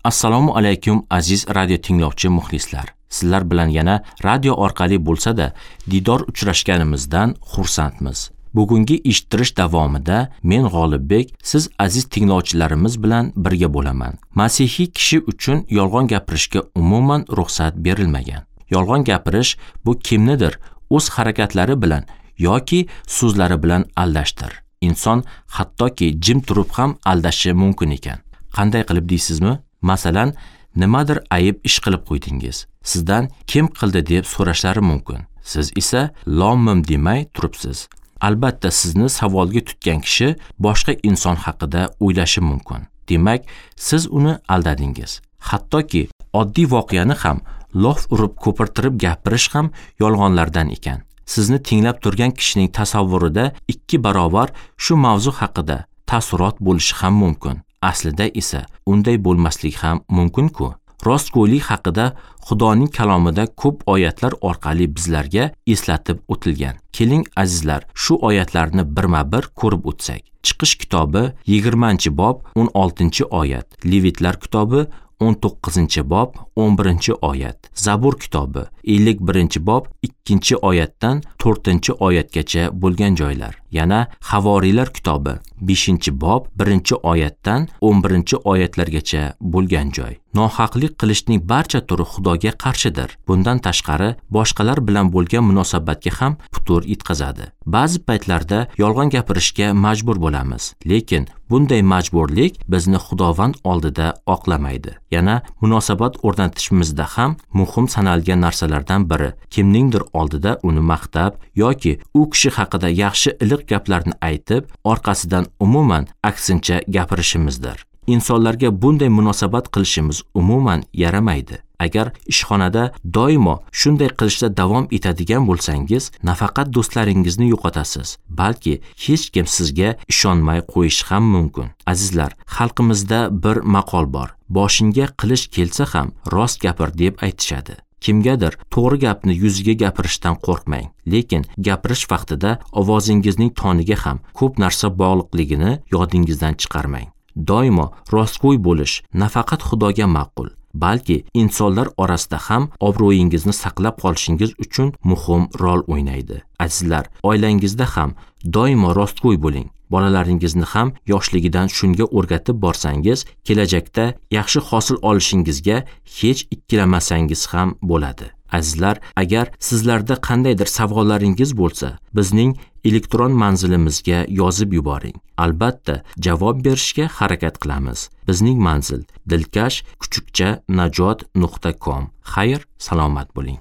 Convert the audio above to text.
Assalomu alaykum aziz radio tinglovchi muxlislar. Sizlar bilan yana radio orqali bo'lsa-da didor uchrashganimizdan xursandmiz. Bugungi eshittirish davomida men G'olibbek siz aziz tinglovchilarimiz bilan birga bo'laman. Masihiy kishi uchun yolg'on gapirishga umuman ruxsat berilmagan. Yolg'on gapirish bu kimnidir o'z harakatlari bilan yoki so'zlari bilan aldashdir. Inson hattoki jim turib ham aldashi mumkin ekan. Qanday qilib deysizmi? Masalan, nimadir ayib ish qilib qo'ydingiz. Sizdan kim qildi deb so'rashlari mumkin. Siz esa lom-mim demay turibsiz. Albatta sizni savolga tutgan kishi boshqa inson haqida o'ylashi mumkin. Demak, siz uni aldadingiz. Hattoki oddiy voqeani ham lof urib ko'pirtirib gapirish ham yolg'onlardan ekan. Sizni tinglab turgan kishining tasavvurida 2 barobar shu mavzu haqida taassurot bo'lishi ham mumkin. Aslida esa unday bo'lmasligi ham mumkin-ku. Rostgo'ylik haqida Xudoning kalomida ko'p oyatlar orqali bizlarga eslatib o'tilgan. Keling azizlar, shu oyatlarni birma-bir ko'rib o'tsak. Chiqish kitobi 20-bob 16-oyat, Levitlar kitobi 19-bob 11-oyat, Zabur kitobi 51-bob 2-oyatdan 4-oyatgacha bo'lgan joylar. Yana Havoriylar kitobi 5-bob 1-oyatdan 11-oyatlargacha bo'lgan joy. Nohaqlik qilishning barcha turi Xudoga qarshidir. Bundan tashqari boshqalar bilan bo'lgan munosabatga ham putur yetkazadi. Ba'zi paytlarda yolg'on gapirishga majbur bo'lamiz, lekin bunday majburlik bizni Xudovand oldida oqlamaydi. Yana munosabat o'rnatishimizda ham muhim sanalgan narsalardan biri kimningdir oldida uni maqtab yoki u kishi haqida yaxshi iliq gaplarni aytib, orqasidan umuman aksincha gapirishimizdir. Insonlarga bunday munosabat qilishimiz umuman yaramaydi. Agar ishxonada doimo shunday qilishda davom etadigan bo'lsangiz, nafaqat do'stlaringizni yo'qotasiz, balki hech kim sizga ishonmay qo'yishi ham mumkin. Azizlar, xalqimizda bir maqol bor. Boshingga qilich kelsa ham rost gapir deb aytishadi. Kimgadir to'g'ri gapni yuziga gapirishdan qo'rqmang, lekin gapirish vaqtida ovozingizning toniga ham ko'p narsa bog'liqligini yodingizdan chiqarmang. Doimo rostgo'y bo'lish nafaqat Xudoga ma'qul, balki insonlar orasida ham obro'yingizni saqlab qolishingiz uchun muhim rol o'ynaydi. Azizlar, oilangizda ham doimo rostgo'y bo'ling. Bolalaringizni ham yoshligidan shunga o'rgatib borsangiz, kelajakda yaxshi hosil olishingizga hech ikkilanmasangiz ham bo'ladi. Azizlar, agar sizlarda qandaydir savollaringiz bo'lsa, bizning elektron manzilimizga yozib yuboring. Albatta, javob berishga harakat qilamiz. Bizning manzil dilkash@najot.com. Xayr, salomat bo'ling.